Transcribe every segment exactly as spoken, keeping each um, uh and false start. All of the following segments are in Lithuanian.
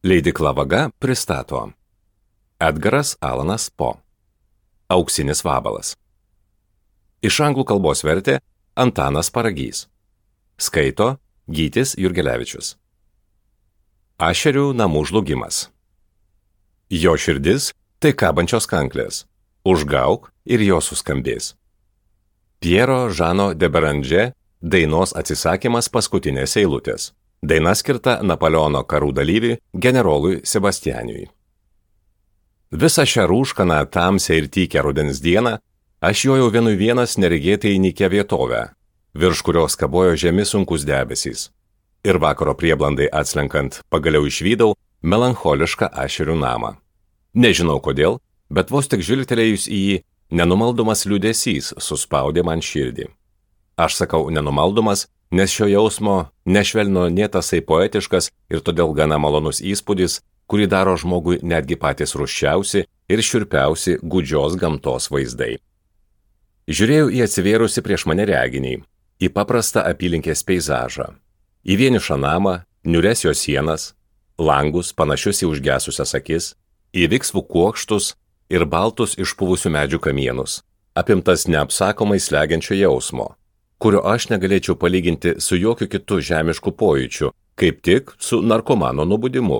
Leidykla Vaga pristato Edgaras Alanas Po. Auksinis vabalas. Iš anglų kalbos vertė Antanas Paragys. Skaito Gytis Jurgelevičius. Ašerių namų žlugimas. Jo širdis tai kabančios kanklės. Užgauk ir jo suskambės. Piero Žano de Beranger dainos atsisakymas paskutinės eilutės. Daina skirta Napoleono karų dalyviui generolui Sebastianiui. Visą šią rūškaną, tamsią ir tykę rudens dieną aš jojau vienui vienas neregėtai nykia vietovę, virš kurios kabojo žemi sunkus debesys. Ir vakaro prieblandai atslenkant pagaliau išvydau melancholišką Ašerių namą. Nežinau kodėl, bet vos tik žvilgtelėjus į jį, nenumaldomas liūdesys suspaudė man širdį. Aš sakau nenumaldomas, nes šio jausmo nešvelnino nė tasai poetiškas ir todėl gana malonus įspūdis, kurį daro žmogui netgi patys rūsčiausi ir šiurpiausi gūdžios gamtos vaizdai. Žiūrėjau į atsivėrusi prieš mane reginį, į paprastą apylinkės peizažą, į vienišą namą, niūres jo sienas, langus panašius į užgesusias akis, į viksvų kuokštus ir baltus išpuvusių medžių kamienus, apimtas neapsakomai slegiančio jausmo, kurio aš negalėčiau palyginti su jokiu kitu žemišku pojūčiu, kaip tik su narkomano nubudimu,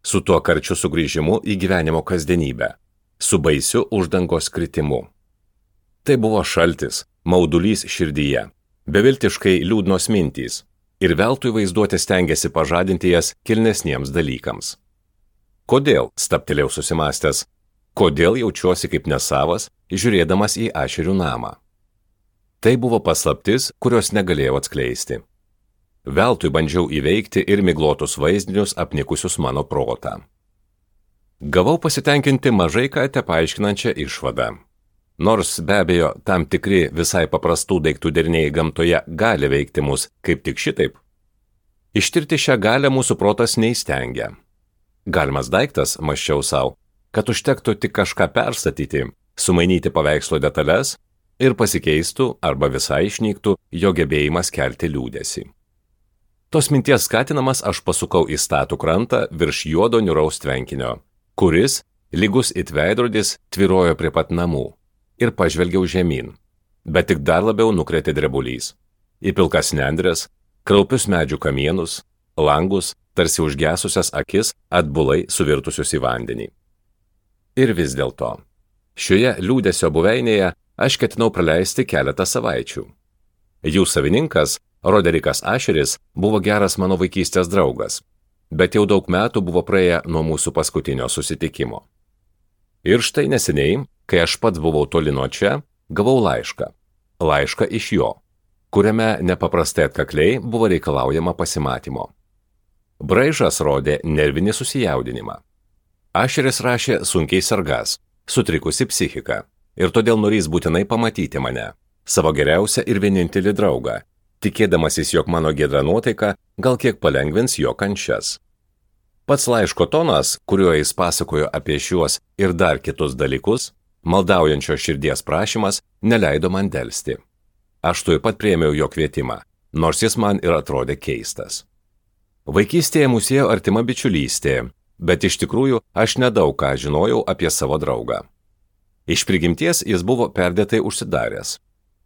su tuo karčiu sugrįžimu į gyvenimo kasdienybę, su baisiu uždangos kritimu. Tai buvo šaltis, maudulys širdyje, beviltiškai liūdnos mintys, ir veltui vaizduotė stengiasi pažadinti jas kilnesniems dalykams. Kodėl, stabtelėjau susimastęs, kodėl jaučiuosi kaip nesavas, žiūrėdamas į Ašerių namą? Tai buvo paslaptis, kurios negalėjau atskleisti. Veltui bandžiau įveikti ir miglotus vaizdinius apnikusius mano protą. Gavau pasitenkinti mažai ką tepaaiškinančią išvadą. Nors be abejo tam tikri visai paprastų daiktų deriniai gamtoje gali veikti mus kaip tik šitaip. Ištirti šią galią mūsų protas neįstengia. Galimas daiktas, mąsčiau savo, kad užtektų tik kažką perstatyti, sumainyti paveikslo detalės ir pasikeistų arba visai išnyktų jo gebėjimas kelti liūdesį. Tos minties skatinamas aš pasukau į statų krantą virš juodo niūraus tvenkinio, kuris, lygus it veidrodis, tvyrojo prie pat namų, ir pažvelgiau žemyn, bet tik dar labiau nukrėtė drebulys. Į pilkas nendres, kraupius medžių kamienus, langus, tarsi užgesusias akis atbulai suvirtusius į vandenį. Ir vis dėlto, šioje liūdesio buveinėje aš ketinau praleisti keletą savaičių. Jų savininkas, Roderikas Ašeris, buvo geras mano vaikystės draugas, bet jau daug metų buvo praėję nuo mūsų paskutinio susitikimo. Ir štai neseniai, kai aš pats buvau toli nuo čia, gavau laišką. Laišką iš jo, kuriame nepaprastai atkakliai buvo reikalaujama pasimatymo. Braižas rodė nervinį susijaudinimą. Ašeris rašė sunkiai sergas, sutrikusi psichika, ir todėl norės būtinai pamatyti mane, savo geriausią ir vienintelį draugą, tikėdamasis, jog mano giedra nuotaika gal kiek palengvins jo kančias. Pats laiško tonas, kuriuo jis pasakojo apie šiuos ir dar kitus dalykus, maldaujančio širdies prašymas, neleido man delsti. Aš tuoj pat priėmiau jo kvietimą, nors jis man ir atrodė keistas. Vaikystėje mūsų ėjo artima bičiulystė, bet iš tikrųjų aš nedaug ką žinojau apie savo draugą. Iš prigimties jis buvo perdėtai užsidaręs.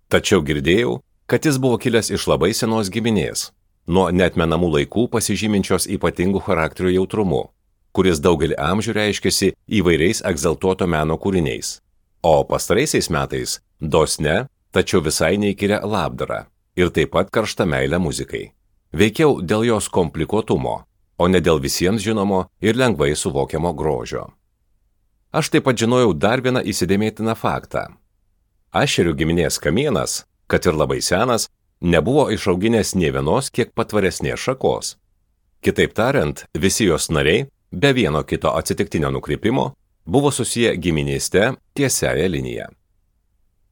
Tačiau girdėjau, kad jis buvo kilęs iš labai senos giminės, nuo neatmenamų laikų pasižyminčios ypatingų charakterių jautrumu, kuris daugelį amžių reiškėsi įvairiais egzaltuoto meno kūriniais, o pastaraisiais metais dosne, tačiau visai neįkyria labdara ir taip pat karšta meilė muzikai. Veikiau dėl jos komplikuotumo, o ne dėl visiems žinomo ir lengvai suvokiamo grožio. Aš taip pat žinojau dar vieną įsidėmėtiną faktą. Ašerių giminės kamienas, kad ir labai senas, nebuvo išauginęs nė vienos kiek patvaresnės šakos. Kitaip tariant, visi jos nariai, be vieno kito atsitiktinio nukrypimo, buvo susiję giminėste tiesiaja linija.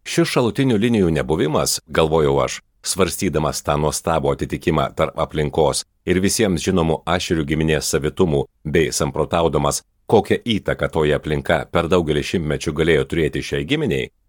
Šis šalutinių linijų nebuvimas, galvojau aš, svarstydamas tą nuostabų atitikimą tarp aplinkos ir visiems žinomų Ašerių giminės savitumų bei samprotaudamas, kokią įtaką toje aplinka per daugelį šimtmečių galėjo turėti šiai giminiai,